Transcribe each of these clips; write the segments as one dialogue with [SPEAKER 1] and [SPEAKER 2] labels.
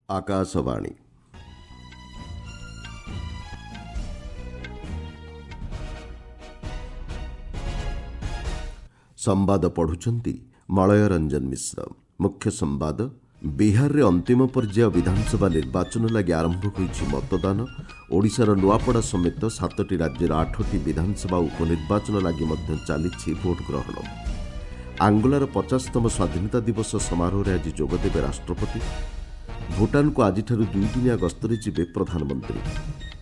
[SPEAKER 1] ଆକାଶବାଣୀ। ସମ୍ବାଦ ପଢୁଛନ୍ତି ମଳୟ ରଞ୍ଜନ ମିଶ୍ର। ମୁଖ୍ୟ ସମ୍ବାଦ। ବିହାରରେ ଅନ୍ତିମ ପର୍ଯ୍ୟାୟ ବିଧାନସଭା ନିର୍ବାଚନ ଲାଗି ଆରମ୍ଭ ହୋଇଛି ମତଦାନ। ଓଡ଼ିଶାର ନୂଆପଡ଼ା ସମେତ 7ଟି ରାଜ୍ୟର 8ଟି ବିଧାନସଭା ଉପନିର୍ବାଚନ ଲାଗି ମଧ୍ୟ ଚାଲିଛି ଭୋଟ ଗ୍ରହଣ। ଆଙ୍ଗୋଲାର 50ତମ ସ୍ୱାଧୀନତା ଦିବସ ସମାରୋହରେ ଆଜି ଯୋଗଦେବେ ରାଷ୍ଟ୍ରପତି। ଭୁଟାନକୁ ଆଜିଠାରୁ 2 ଦିନିଆ ଗସ୍ତରେ ଯିବେ ପ୍ରଧାନମନ୍ତ୍ରୀ।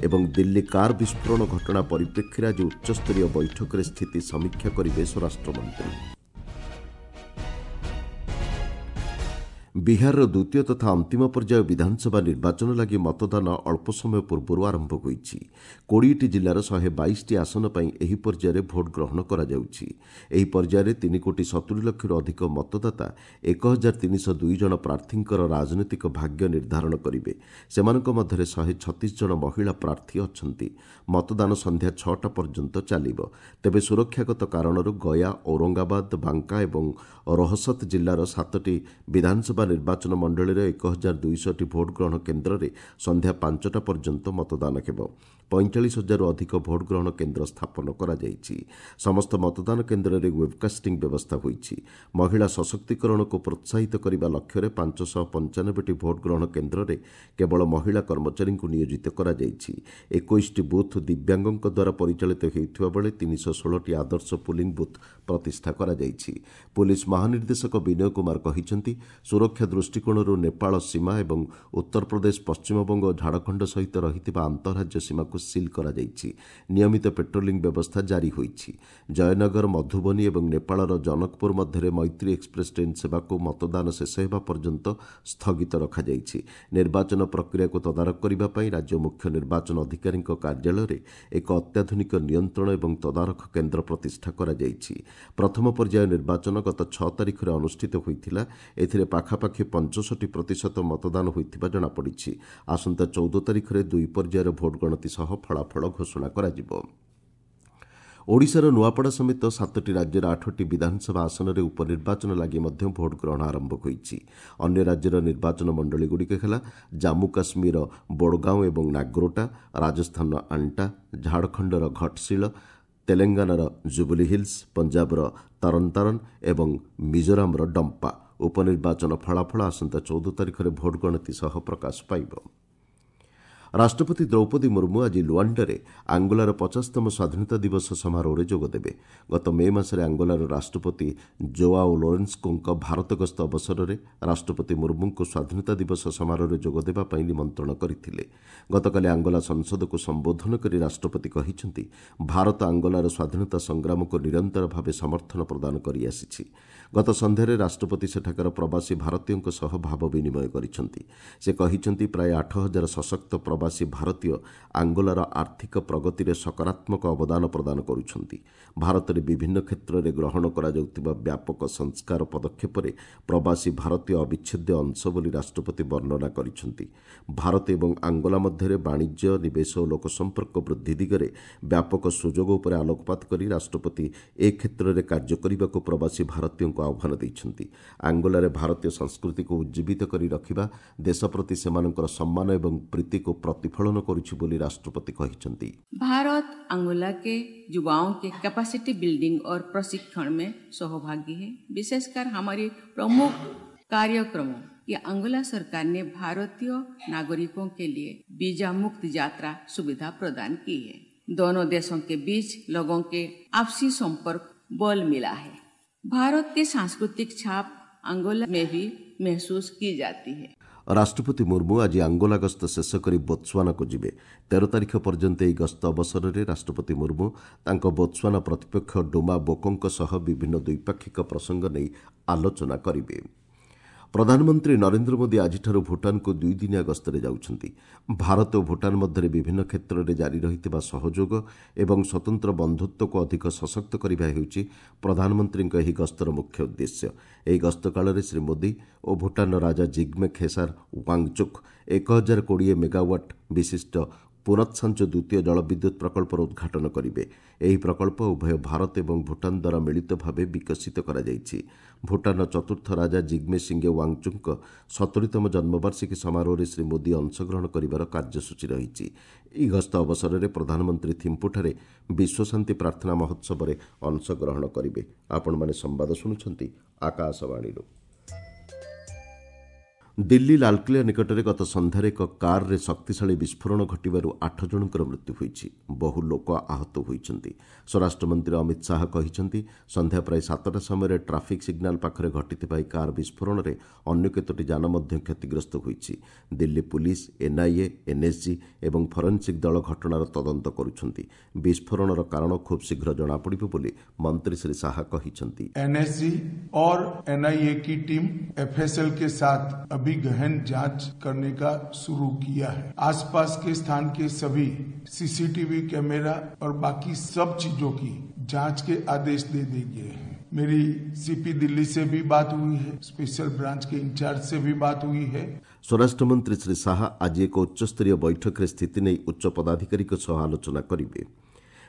[SPEAKER 1] ଏବଂ ଦିଲ୍ଲୀ କାର୍ ବିସ୍ଫୋରଣ ଘଟଣା ପରିପ୍ରେକ୍ଷୀରେ ଆଜି ଉଚ୍ଚସ୍ତରୀୟ ବୈଠକରେ ସ୍ଥିତି ସମୀକ୍ଷା କରିବେ ସ୍ୱରାଷ୍ଟ୍ରମନ୍ତ୍ରୀ। ବିହାରର ଦ୍ୱିତୀୟ ତଥା ଅନ୍ତିମ ପର୍ଯ୍ୟାୟ ବିଧାନସଭା ନିର୍ବାଚନ ଲାଗି ମତଦାନ ଅଳ୍ପ ସମୟ ପୂର୍ବରୁ ଆରମ୍ଭ ହୋଇଛି। 20ଟି ଜିଲ୍ଲାର 122ଟି ଆସନ ପାଇଁ ଏହି ପର୍ଯ୍ୟାୟରେ ଭୋଟ ଗ୍ରହଣ କରାଯାଉଛି। ଏହି ପର୍ଯ୍ୟାୟରେ 3 କୋଟି 70 ଲକ୍ଷରୁ ଅଧିକ ମତଦାତା 1302 ଜଣ ପ୍ରାର୍ଥୀଙ୍କର ରାଜନୈତିକ ଭାଗ୍ୟ ନିର୍ଦ୍ଧାରଣ କରିବେ। ସେମାନଙ୍କ ମଧ୍ୟରେ 136 ଜଣ ମହିଳା ପ୍ରାର୍ଥୀ ଅଛନ୍ତି। ମତଦାନ ସନ୍ଧ୍ୟା 6ଟା ପର୍ଯ୍ୟନ୍ତ ଚାଲିବ। ତେବେ ସୁରକ୍ଷାଗତ କାରଣରୁ ଗୟା, ଔରଙ୍ଗାବାଦ, ବାଙ୍କା ଏବଂ ରୋହସତ ଜିଲ୍ଲାର 7ଟି ବିଧାନସଭା ନିର୍ବାଚନ ମଣ୍ଡଳୀର 1200ଟି ଭୋଟ ଗ୍ରହଣ କେନ୍ଦ୍ରରେ ସନ୍ଧ୍ୟା 5ଟା ପର୍ଯ୍ୟନ୍ତ ମତଦାନ ହେବ। 45 ହଜାରରୁ ଅଧିକ ଭୋଟ ଗ୍ରହଣ କେନ୍ଦ୍ର ସ୍ଥାପନ କରାଯାଇଛି। ସମସ୍ତ ମତଦାନ କେନ୍ଦ୍ରରେ ୱେବ୍କାଷ୍ଟିଂ ବ୍ୟବସ୍ଥା ହୋଇଛି। ମହିଳା ସଶକ୍ତିକରଣକୁ ପ୍ରୋତ୍ସାହିତ କରିବା ଲକ୍ଷ୍ୟରେ 595ଟି ଭୋଟ ଗ୍ରହଣ କେନ୍ଦ୍ରରେ କେବଳ ମହିଳା କର୍ମଚାରୀଙ୍କୁ ନିୟୋଜିତ କରାଯାଇଛି। 21ଟି ବୁଥ୍ ଦିବ୍ୟାଙ୍ଗଙ୍କ ଦ୍ୱାରା ପରିଚାଳିତ ହେଉଥିବା ବେଳେ 316ଟି ଆଦର୍ଶ ପୁଲିଂ ବୁଥ୍ ପ୍ରତିଷ୍ଠା କରାଯାଇଛି। ପୁଲିସ୍ ମହାନିର୍ଦ୍ଦେଶକ ବିନୟ କୁମାର କହିଛନ୍ତି, ସୁରକ୍ଷା ଦୃଷ୍ଟିକୋଣରୁ ନେପାଳ ସୀମା ଏବଂ ଉତ୍ତରପ୍ରଦେଶ, ପଶ୍ଚିମବଙ୍ଗ ଓ ଝାଡ଼ଖଣ୍ଡ ସହିତ ରହିଥିବା ଆନ୍ତଃରାଜ୍ୟ ସୀମାକୁ ସିଲ୍ କରାଯାଇଛି। ନିୟମିତ ପେଟ୍ରୋଲିଂ ବ୍ୟବସ୍ଥା ଜାରି ହୋଇଛି। ଜୟନଗର, ମଧୁବନୀ ଏବଂ ନେପାଳର ଜନକପୁର ମଧ୍ୟରେ ମୈତ୍ରୀ ଏକ୍ସପ୍ରେସ୍ ଟ୍ରେନ୍ ସେବାକୁ ମତଦାନ ଶେଷ ହେବା ପର୍ଯ୍ୟନ୍ତ ସ୍ଥଗିତ ରଖାଯାଇଛି। ନିର୍ବାଚନ ପ୍ରକ୍ରିୟାକୁ ତଦାରଖ କରିବା ପାଇଁ ରାଜ୍ୟ ମୁଖ୍ୟ ନିର୍ବାଚନ ଅଧିକାରୀଙ୍କ କାର୍ଯ୍ୟାଳୟରେ ଏକ ଅତ୍ୟାଧୁନିକ ନିୟନ୍ତ୍ରଣ ଏବଂ ତଦାରଖ କେନ୍ଦ୍ର ପ୍ରତିଷ୍ଠା କରାଯାଇଛି। ପ୍ରଥମ ପର୍ଯ୍ୟାୟ ନିର୍ବାଚନ ଗତ 6 ତାରିଖରେ ଅନୁଷ୍ଠିତ ହୋଇଥିଲା। ଏଥିରେ ପାଖାପାଖି 65% ମତଦାନ ହୋଇଥିବା ଜଣାପଡ଼ିଛି। ଆସନ୍ତା 14 ତାରିଖରେ ଦୁଇ ପର୍ଯ୍ୟାୟର ଭୋଟ ଗଣତି ସହ ଫଳାଫଳ ଘୋଷଣା କରାଯିବ। ଓଡ଼ିଶାର ନୂଆପଡ଼ା ସମେତ 7ଟି ରାଜ୍ୟର 8ଟି ବିଧାନସଭା ଆସନରେ ଉପନିର୍ବାଚନ ଲାଗି ମଧ୍ୟ ଭୋଟ ଗ୍ରହଣ ଆରମ୍ଭ ହୋଇଛି। ଅନ୍ୟ ରାଜ୍ୟର ନିର୍ବାଚନ ମଣ୍ଡଳୀଗୁଡ଼ିକ ହେଲା ଜାମ୍ମୁ କାଶ୍ମୀରର ବୋଡ଼ଗାଓଁ ଏବଂ ନାଗ୍ରୋଟା, ରାଜସ୍ଥାନର ଆଣ୍ଟା, ଝାଡ଼ଖଣ୍ଡର ଘଟଶିଳ, ତେଲେଙ୍ଗାନାର ଜୁବୁଲି ହିଲ୍ସ, ପଞ୍ଜାବର ତରନତାରନ ଏବଂ ମିଜୋରାମର ଡମ୍ପା। ଉପନିର୍ବାଚନ ଫଳାଫଳ ଆସନ୍ତା 14 ତାରିଖରେ ଭୋଟ ଗଣତି ସହ ପ୍ରକାଶ ପାଇବ। ରାଷ୍ଟ୍ରପତି ଦ୍ରୌପଦୀ ମୁର୍ମୁ ଆଜି ଲୁଆଣ୍ଡାରେ ଆଙ୍ଗୋଲାର 50ତମ ସ୍ୱାଧୀନତା ଦିବସ ସମାରୋହରେ ଯୋଗଦେବେ। ଗତ ମେ ମାସରେ ଆଙ୍ଗୋଲାର ରାଷ୍ଟ୍ରପତି ଜୋଆଓ ଲୋରେନ୍ସୋଙ୍କ ଭାରତ ଗସ୍ତ ଅବସରରେ ରାଷ୍ଟ୍ରପତି ମୁର୍ମୁଙ୍କୁ ସ୍ୱାଧୀନତା ଦିବସ ସମାରୋହରେ ଯୋଗଦେବା ପାଇଁ ନିମନ୍ତ୍ରଣ କରିଥିଲେ। ଗତକାଲି ଆଙ୍ଗୋଲା ସଂସଦକୁ ସମ୍ବୋଧନ କରି ରାଷ୍ଟ୍ରପତି କହିଛନ୍ତି, ଭାରତ ଆଙ୍ଗୋଲାର ସ୍ୱାଧୀନତା ସଂଗ୍ରାମକୁ ନିରନ୍ତର ଭାବେ ସମର୍ଥନ ପ୍ରଦାନ କରିଆସିଛି। ଗତ ସନ୍ଧ୍ୟାରେ ରାଷ୍ଟ୍ରପତି ସେଠାକାର ପ୍ରବାସୀ ଭାରତୀୟଙ୍କ ସହ ଭାବ ବିନିମୟ କରିଛନ୍ତି। ସେ କହିଛନ୍ତି, ପ୍ରାୟ 8000 ସଶକ୍ତ ପ୍ରବାସୀ ଭାରତୀୟ ଆଙ୍ଗୋଲାର ଆର୍ଥିକ ପ୍ରଗତିରେ ସକାରାତ୍ମକ ଅବଦାନ ପ୍ରଦାନ କରୁଛନ୍ତି। ଭାରତରେ ବିଭିନ୍ନ କ୍ଷେତ୍ରରେ ଗ୍ରହଣ କରାଯାଉଥିବା ବ୍ୟାପକ ସଂସ୍କାର ପଦକ୍ଷେପରେ ପ୍ରବାସୀ ଭାରତୀୟ ଅବିଚ୍ଛେଦ୍ୟ ଅଂଶ ବୋଲି ରାଷ୍ଟ୍ରପତି ବର୍ଣ୍ଣନା କରିଛନ୍ତି। ଭାରତ ଏବଂ ଆଙ୍ଗୋଲା ମଧ୍ୟରେ ବାଣିଜ୍ୟ, ନିବେଶ ଓ ଲୋକସମ୍ପର୍କ ବୃଦ୍ଧି ଦିଗରେ ବ୍ୟାପକ ସୁଯୋଗ ଉପରେ ଆଲୋକପାତ କରି ରାଷ୍ଟ୍ରପତି ଏ କ୍ଷେତ୍ରରେ କାର୍ଯ୍ୟ କରିବାକୁ ପ୍ରବାସୀ ଭାରତୀୟଙ୍କୁ ଆହ୍ୱାନ ଦେଇଛନ୍ତି। ଆଙ୍ଗୋଲାରେ ଭାରତୀୟ ସଂସ୍କୃତିକୁ ଉଜ୍ଜୀବିତ କରି ରଖିବା ଦେଶ ପ୍ରତି ସେମାନଙ୍କର ସମ୍ମାନ ଏବଂ ପ୍ରୀତିକୁ ପ୍ରତିଫଳନ କରୁଛି ବୋଲି ରାଷ୍ଟ୍ରପତି କହିଛନ୍ତି।
[SPEAKER 2] भारत अंगोला के युवाओं के कैपेसिटी बिल्डिंग और प्रशिक्षण में सहभागी है। विशेषकर हमारे प्रमुख कार्यक्रमों कि अंगोला सरकार ने भारतीय नागरिकों के लिए वीजा मुक्त यात्रा सुविधा प्रदान की है। दोनों देशों के बीच लोगों के आपसी संपर्क बल मिला है। भारत की सांस्कृतिक छाप अंगोला में भी महसूस की जाती है।
[SPEAKER 1] ରାଷ୍ଟ୍ରପତି ମୁର୍ମୁ ଆଜି ଆଙ୍ଗୋଲା ଗସ୍ତ ଶେଷ କରି ବୋତ୍ସୁଆନାକୁ ଯିବେ। 13 ତାରିଖ ପର୍ଯ୍ୟନ୍ତ ଏହି ଗସ୍ତ ଅବସରରେ ରାଷ୍ଟ୍ରପତି ମୁର୍ମୁ ତାଙ୍କ ବୋତ୍ସୁଆନା ପ୍ରତିପକ୍ଷ ଡୁମା ବୋକୋଙ୍କ ସହ ବିଭିନ୍ନ ଦ୍ୱିପାକ୍ଷିକ ପ୍ରସଙ୍ଗ ନେଇ ଆଲୋଚନା କରିବେ। ପ୍ରଧାନମନ୍ତ୍ରୀ ନରେନ୍ଦ୍ର ମୋଦି ଆଜିଠାରୁ ଭୁଟାନକୁ 2 ଦିନିଆ ଗସ୍ତରେ ଯାଉଛନ୍ତି। ଭାରତ ଓ ଭୁଟାନ ମଧ୍ୟରେ ବିଭିନ୍ନ କ୍ଷେତ୍ରରେ ଜାରି ରହିଥିବା ସହଯୋଗ ଏବଂ ସ୍ୱତନ୍ତ୍ର ବନ୍ଧୁତ୍ୱକୁ ଅଧିକ ସଶକ୍ତ କରିବା ହେଉଛି ପ୍ରଧାନମନ୍ତ୍ରୀଙ୍କ ଏହି ଗସ୍ତର ମୁଖ୍ୟ ଉଦ୍ଦେଶ୍ୟ। ଏହି ଗସ୍ତ କାଳରେ ଶ୍ରୀ ମୋଦି ଓ ଭୁଟାନର ରାଜା ଜିଗ୍ମେ ଖେସାର ୱାଙ୍ଗଚୁକ୍ 1020 ମେଗାୱାଟ୍ ବିଶିଷ୍ଟ ପୁନତ୍ସାଞ୍ଚୁ ଦ୍ୱିତୀୟ ଜଳବିଦ୍ୟୁତ୍ ପ୍ରକଳ୍ପର ଉଦ୍ଘାଟନ କରିବେ। ଏହି ପ୍ରକଳ୍ପ ଉଭୟ ଭାରତ ଏବଂ ଭୁଟାନ ଦ୍ୱାରା ମିଳିତ ଭାବେ ବିକଶିତ କରାଯାଇଛି। ଭୁଟାନର ଚତୁର୍ଥ ରାଜା ଜିଗ୍ମେ ସିଙ୍ଗେ ୱାଙ୍ଗଚୁକ୍ଙ୍କ 70ତମ ଜନ୍ମବାର୍ଷିକୀ ସମାରୋହରେ ଶ୍ରୀ ମୋଦି ଅଂଶଗ୍ରହଣ କରିବାର କାର୍ଯ୍ୟସୂଚୀ ରହିଛି। ଏହି ଗସ୍ତ ଅବସରରେ ପ୍ରଧାନମନ୍ତ୍ରୀ ଥିମ୍ପୁଠାରେ ବିଶ୍ୱଶାନ୍ତି ପ୍ରାର୍ଥନା ମହୋତ୍ସବରେ ଅଂଶଗ୍ରହଣ କରିବେ। ଆପଣମାନେ ସମ୍ବାଦ ଶୁଣୁଛନ୍ତି ଆକାଶବାଣୀରୁ। ଦିଲ୍ଲୀ ଲାଲକିଲ୍ଲା ନିକଟରେ ଗତ ସନ୍ଧ୍ୟାରେ ଏକ କାର୍ରେ ଶକ୍ତିଶାଳୀ ବିସ୍ଫୋରଣ ଘଟିବାରୁ 8 ଜଣଙ୍କର ମୃତ୍ୟୁ ହୋଇଛି। ବହୁ ଲୋକ ଆହତ ହୋଇଛନ୍ତି। ସ୍ୱରାଷ୍ଟ୍ରମନ୍ତ୍ରୀ ଅମିତ ଶାହା କହିଛନ୍ତି, ସନ୍ଧ୍ୟା ପ୍ରାୟ 7ଟା ସମୟରେ ଟ୍ରାଫିକ୍ ସିଗ୍ନାଲ ପାଖରେ ଘଟିଥିବା ଏହି କାର୍ ବିସ୍ଫୋରଣରେ ଅନ୍ୟ କେତୋଟି ଯାନ ମଧ୍ୟ କ୍ଷତିଗ୍ରସ୍ତ ହୋଇଛି। ଦିଲ୍ଲୀ ପୁଲିସ୍, ଏନ୍ଆଇଏ, ଏନ୍ଏସ୍ଜି ଏବଂ ଫରେନ୍ସିକ୍ ଦଳ ଘଟଣାର ତଦନ୍ତ କରୁଛନ୍ତି। ବିସ୍ଫୋରଣର କାରଣ ଖୁବ୍ ଶୀଘ୍ର ଜଣାପଡ଼ିବ ବୋଲି ମନ୍ତ୍ରୀ ଶ୍ରୀ ଶାହା କହିଛନ୍ତି।
[SPEAKER 3] एनएसजी और एनआईए की टीम एफएसएल के साथ अभी गहन जांच करने का शुरू किया है। आसपास के स्थान के सभी सीसीटीवी कैमरा और बाकी सब चीजों की जांच के आदेश दे दिए गए हैं। मेरी सीपी दिल्ली से भी बात हुई है, स्पेशल ब्रांच के इंचार्ज से भी बात हुई है।
[SPEAKER 1] ସ୍ୱରାଷ୍ଟ୍ରମନ୍ତ୍ରୀ ଶ୍ରୀ ଶାହା ଆଜି ଏକ ଉଚ୍ଚସ୍ତରୀୟ ବୈଠକରେ ସ୍ଥିତି ନେଇ ଉଚ୍ଚ ପଦାଧିକାରୀଙ୍କ ସହ ଆଲୋଚନା କରିବେ।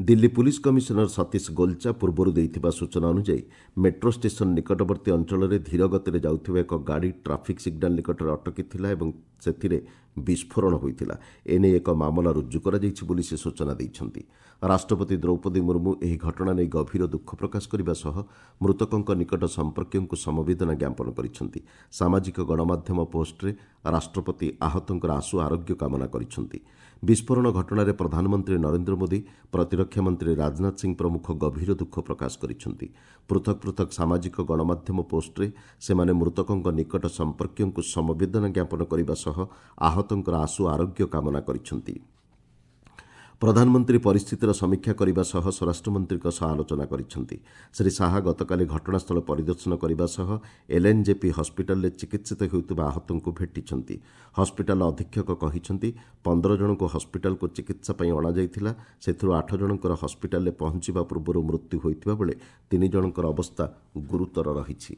[SPEAKER 1] ଦିଲ୍ଲୀ ପୁଲିସ୍ କମିଶନର ସତୀଶ ଗୋଲଚା ପୂର୍ବରୁ ଦେଇଥିବା ସୂଚନା ଅନୁଯାୟୀ, ମେଟ୍ରୋ ଷ୍ଟେସନ ନିକଟବର୍ତ୍ତୀ ଅଞ୍ଚଳରେ ଧୀର ଗତିରେ ଯାଉଥିବା ଏକ ଗାଡ଼ି ଟ୍ରାଫିକ୍ ସିଗ୍ନାଲ ନିକଟରେ ଅଟକିଥିଲା ଏବଂ ସେଥିରେ ବିସ୍ଫୋରଣ ହୋଇଥିଲା। ଏନେଇ ଏକ ମାମଲା ରୁଜୁ କରାଯାଇଛି ବୋଲି ସେ ସୂଚନା ଦେଇଛନ୍ତି। ରାଷ୍ଟ୍ରପତି ଦ୍ରୌପଦୀ ମୁର୍ମୁ ଏହି ଘଟଣା ନେଇ ଗଭୀର ଦୁଃଖ ପ୍ରକାଶ କରିବା ସହ ମୃତକଙ୍କ ନିକଟ ସମ୍ପର୍କୀୟଙ୍କୁ ସମବେଦନା ଜ୍ଞାପନ କରିଛନ୍ତି। ସାମାଜିକ ଗଣମାଧ୍ୟମ ପୋଷ୍ଟରେ ରାଷ୍ଟ୍ରପତି ଆହତଙ୍କର ଆଶୁ ଆରୋଗ୍ୟ କାମନା କରିଛନ୍ତି। ବିସ୍ଫୋରଣ ଘଟଣାରେ ପ୍ରଧାନମନ୍ତ୍ରୀ ନରେନ୍ଦ୍ର ମୋଦି, ପ୍ରତିରକ୍ଷା ମନ୍ତ୍ରୀ ରାଜନାଥ ସିଂ ପ୍ରମୁଖ ଗଭୀର ଦୁଃଖ ପ୍ରକାଶ କରିଛନ୍ତି। ପୃଥକ ପୃଥକ ସାମାଜିକ ଗଣମାଧ୍ୟମ ପୋଷ୍ଟରେ ସେମାନେ ମୃତକଙ୍କ ନିକଟ ସମ୍ପର୍କୀୟଙ୍କୁ ସମବେଦନା ଜ୍ଞାପନ କରିବା ସହ ଆହତଙ୍କର ଆଶୁ ଆରୋଗ୍ୟ କାମନା କରିଛନ୍ତି। ପ୍ରଧାନମନ୍ତ୍ରୀ ପରିସ୍ଥିତିର ସମୀକ୍ଷା କରିବା ସହ ସ୍ୱରାଷ୍ଟ୍ରମନ୍ତ୍ରୀଙ୍କ ସହ ଆଲୋଚନା କରିଛନ୍ତି। ଶ୍ରୀ ଶାହା ଗତକାଲି ଘଟଣାସ୍ଥଳ ପରିଦର୍ଶନ କରିବା ସହ ଏଲ୍ଏନ୍ଜେପି ହସ୍ପିଟାଲରେ ଚିକିତ୍ସିତ ହେଉଥିବା ଆହତଙ୍କୁ ଭେଟିଛନ୍ତି। ହସ୍ପିଟାଲ ଅଧୀକ୍ଷକ କହିଛନ୍ତି, 15 ଜଣଙ୍କୁ ହସ୍ପିଟାଲକୁ ଚିକିତ୍ସା ପାଇଁ ଅଣାଯାଇଥିଲା। ସେଥିରୁ 8 ଜଣଙ୍କର ହସ୍ପିଟାଲରେ ପହଞ୍ଚିବା ପୂର୍ବରୁ ମୃତ୍ୟୁ ହୋଇଥିବା ବେଳେ 3 ଜଣଙ୍କର ଅବସ୍ଥା ଗୁରୁତର ରହିଛି।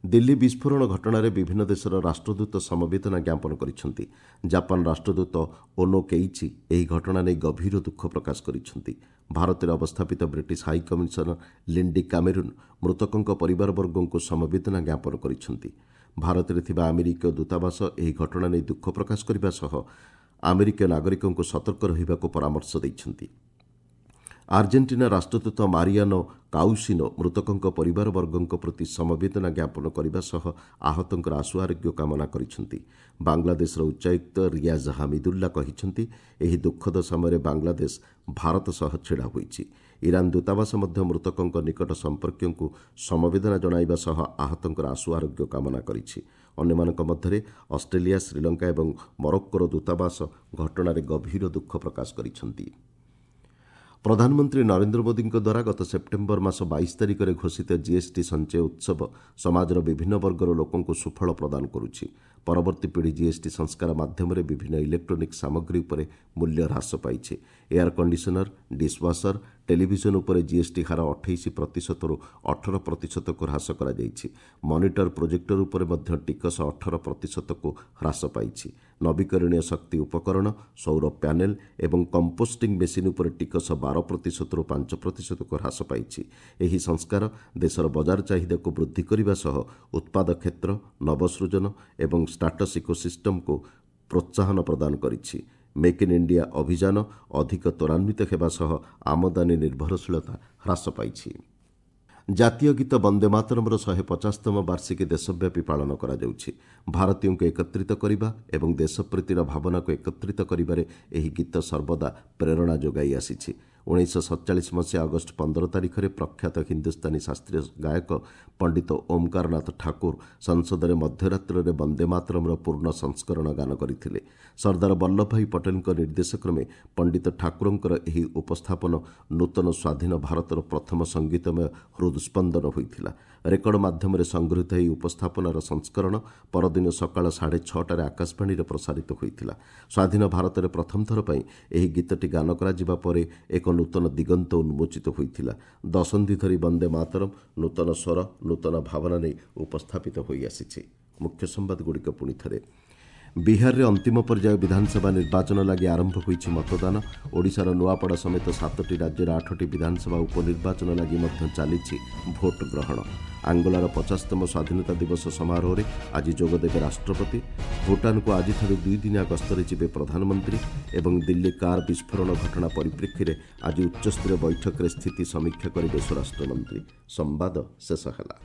[SPEAKER 1] ଦିଲ୍ଲୀ ବିସ୍ଫୋରଣ ଘଟଣାରେ ବିଭିନ୍ନ ଦେଶର ରାଷ୍ଟ୍ରଦୂତ ସମବେଦନା ଜ୍ଞାପନ କରିଛନ୍ତି। ଜାପାନ ରାଷ୍ଟ୍ରଦୂତ ଓନୋ କେଇଚି ଏହି ଘଟଣା ନେଇ ଗଭୀର ଦୁଃଖ ପ୍ରକାଶ କରିଛନ୍ତି। ଭାରତରେ ଅବସ୍ଥାପିତ British high commissioner Lindy Cameron ମୃତକଙ୍କ ପରିବାରବର୍ଗଙ୍କୁ ସମବେଦନା ଜ୍ଞାପନ କରିଛନ୍ତି। ଭାରତରେ ଥିବା ଆମେରିକୀୟ ଦୂତାବାସ ଏହି ଘଟଣା ନେଇ ଦୁଃଖ ପ୍ରକାଶ କରିବା ସହ ଆମେରିକୀୟ ନାଗରିକଙ୍କୁ ସତର୍କ ରହିବାକୁ ପରାମର୍ଶ ଦେଇଛନ୍ତି। ଆର୍ଜେଣ୍ଟିନା ରାଷ୍ଟ୍ରଦୂତ ମାରିଆନୋ କାଉସିନୋ ମୃତକଙ୍କ ପରିବାରବର୍ଗଙ୍କ ପ୍ରତି ସମବେଦନା ଜ୍ଞାପନ କରିବା ସହ ଆହତଙ୍କର ଆଶୁ ଆରୋଗ୍ୟ କାମନା କରିଛନ୍ତି। ବାଂଲାଦେଶର ଉଚ୍ଚାୟୁକ୍ତ ରିୟାଜ ହାମିଦୁଲ୍ଲା କହିଛନ୍ତି, ଏହି ଦୁଃଖଦ ସମୟରେ ବାଂଲାଦେଶ ଭାରତ ସହ ଛିଡ଼ା ହୋଇଛି। ଇରାନ ଦୂତାବାସ ମଧ୍ୟ ମୃତକଙ୍କ ନିକଟ ସମ୍ପର୍କୀୟଙ୍କୁ ସମବେଦନା ଜଣାଇବା ସହ ଆହତଙ୍କର ଆଶୁ ଆରୋଗ୍ୟ କାମନା କରିଛି। ଅନ୍ୟମାନଙ୍କ ମଧ୍ୟରେ ଅଷ୍ଟ୍ରେଲିଆ, ଶ୍ରୀଲଙ୍କା ଏବଂ ମରୋକ୍କୋର ଦୂତାବାସ ଘଟଣାରେ ଗଭୀର ଦୁଃଖ ପ୍ରକାଶ କରିଛନ୍ତି। ପ୍ରଧାନମନ୍ତ୍ରୀ ନରେନ୍ଦ୍ର ମୋଦିଙ୍କ ଦ୍ୱାରା ଗତ ସେପ୍ଟେମ୍ବର ମାସ 22 ତାରିଖରେ ଘୋଷିତ ଜିଏସ୍ଟି ସଞ୍ଚୟ ଉତ୍ସବ ସମାଜର ବିଭିନ୍ନ ବର୍ଗର ଲୋକଙ୍କୁ ସୁଫଳ ପ୍ରଦାନ କରୁଛି। ପରବର୍ତ୍ତୀ ପିଢ଼ି ଜିଏସ୍ଟି ସଂସ୍କାର ମାଧ୍ୟମରେ ବିଭିନ୍ନ ଇଲେକ୍ଟ୍ରୋନିକ୍ ସାମଗ୍ରୀ ଉପରେ ମୂଲ୍ୟ ହ୍ରାସ ପାଇଛି। ଏୟାର କଣ୍ଡିସନର, ଡିସ୍ୱାସର, ଟେଲିଭିଜନ ଉପରେ ଜିଏସ୍ଟି ହାର 28 ପ୍ରତିଶତରୁ 18 ପ୍ରତିଶତକୁ ହ୍ରାସ କରାଯାଇଛି। ମନିଟର, ପ୍ରୋଜେକ୍ଟର ଉପରେ ମଧ୍ୟ ଟିକସ 18 ପ୍ରତିଶତକୁ ହ୍ରାସ ପାଇଛି। ନବୀକରଣୀୟ ଶକ୍ତି ଉପକରଣ, ସୌର ପ୍ୟାନେଲ ଏବଂ କମ୍ପୋଷ୍ଟିଂ ମେସିନ୍ ଉପରେ ଟିକସ 12 ପ୍ରତିଶତରୁ 5 ପ୍ରତିଶତକୁ ହ୍ରାସ ପାଇଛି। ଏହି ସଂସ୍କାର ଦେଶର ବଜାର ଚାହିଦାକୁ ବୃଦ୍ଧି କରିବା ସହ ଉତ୍ପାଦ କ୍ଷେତ୍ର, ନବସୃଜନ ଏବଂ ଷ୍ଟାଟସ୍ ଇକୋସିଷ୍ଟମକୁ ପ୍ରୋତ୍ସାହନ ପ୍ରଦାନ କରିଛି। ମେକ୍ ଇନ୍ ଇଣ୍ଡିଆ ଅଭିଯାନ ଅଧିକ ତ୍ୱରାନ୍ୱିତ ହେବା ସହ ଆମଦାନୀ ନିର୍ଭରଶୀଳତା ହ୍ରାସ ପାଇଛି। ଜାତୀୟ ଗୀତ ବନ୍ଦେ ମାତରମ୍ର 150ତମ ବାର୍ଷିକୀ ଦେଶବ୍ୟାପୀ ପାଳନ କରାଯାଉଛି। ଭାରତୀୟଙ୍କୁ ଏକତ୍ରିତ କରିବା ଏବଂ ଦେଶପ୍ରୀତିର ଭାବନାକୁ ଏକତ୍ରିତ କରିବାରେ ଏହି ଗୀତ ସର୍ବଦା ପ୍ରେରଣା ଯୋଗାଇ ଆସିଛି। 1947 ମସିହା ଅଗଷ୍ଟ 15 ତାରିଖରେ ପ୍ରଖ୍ୟାତ ହିନ୍ଦୁସ୍ତାନୀ ଶାସ୍ତ୍ରୀୟ ଗାୟକ ପଣ୍ଡିତ ଓମ୍କାରନାଥ ଠାକୁର ସଂସଦରେ ମଧ୍ୟରାତ୍ରରେ ବନ୍ଦେ ମାତରମ୍ର ପୂର୍ଣ୍ଣ ସଂସ୍କରଣ ଗାନ କରିଥିଲେ। ସର୍ଦ୍ଦାର ବଲ୍ଲଭଭାଇ ପଟେଲଙ୍କ ନିର୍ଦ୍ଦେଶକ୍ରମେ ପଣ୍ଡିତ ଠାକୁରଙ୍କର ଏହି ଉପସ୍ଥାପନ ନୂତନ ସ୍ୱାଧୀନ ଭାରତର ପ୍ରଥମ ସଙ୍ଗୀତମୟ ହୃଦସ୍ପନ୍ଦନ ହୋଇଥିଲା। ରେକର୍ଡ ମାଧ୍ୟମରେ ସଂଗୃହୀତ ଏହି ଉପସ୍ଥାପନାର ସଂସ୍କରଣ ପରଦିନ ସକାଳ 6:30ଟାରେ ଆକାଶବାଣୀରେ ପ୍ରସାରିତ ହୋଇଥିଲା। ସ୍ୱାଧୀନ ଭାରତରେ ପ୍ରଥମ ଥର ପାଇଁ ଏହି ଗୀତଟି ଗାନ କରାଯିବା ପରେ ଏକ ନୂତନ ଦିଗନ୍ତ ଉନ୍ମୋଚିତ ହୋଇଥିଲା। ଦଶନ୍ଧି ଧରି ବନ୍ଦେ ମାତରମ୍ ନୂତନ ସ୍ୱର, ନୂତନ ଭାବନା ନେଇ ଉପସ୍ଥାପିତ ହୋଇଆସିଛି। ମୁଖ୍ୟ ସମ୍ବାଦଗୁଡ଼ିକ ପୁଣି ଥରେ। ବିହାରରେ ଅନ୍ତିମ ପର୍ଯ୍ୟାୟ ବିଧାନସଭା ନିର୍ବାଚନ ଲାଗି ଆରମ୍ଭ ହୋଇଛି ମତଦାନ। ଓଡ଼ିଶାର ନୂଆପଡ଼ା ସମେତ 7ଟି ରାଜ୍ୟର 8ଟି ବିଧାନସଭା ଉପନିର୍ବାଚନ ଲାଗି ମଧ୍ୟ ଚାଲିଛି ଭୋଟ ଗ୍ରହଣ। ଆଙ୍ଗୋଲାର 50ତମ ସ୍ୱାଧୀନତା ଦିବସ ସମାରୋହରେ ଆଜି ଯୋଗଦେବେ ରାଷ୍ଟ୍ରପତି। ଭୁଟାନକୁ ଆଜିଠାରୁ 2 ଦିନିଆ ଗସ୍ତରେ ଯିବେ ପ୍ରଧାନମନ୍ତ୍ରୀ ଏବଂ ଦିଲ୍ଲୀ କାର୍ ବିସ୍ଫୋରଣ ଘଟଣା ପରିପ୍ରେକ୍ଷୀରେ ଆଜି ଉଚ୍ଚସ୍ତରୀୟ ବୈଠକରେ ସ୍ଥିତି ସମୀକ୍ଷା କରିବେ ସ୍ୱରାଷ୍ଟ୍ରମନ୍ତ୍ରୀ। ସମ୍ବାଦ ଶେଷ ହେଲା।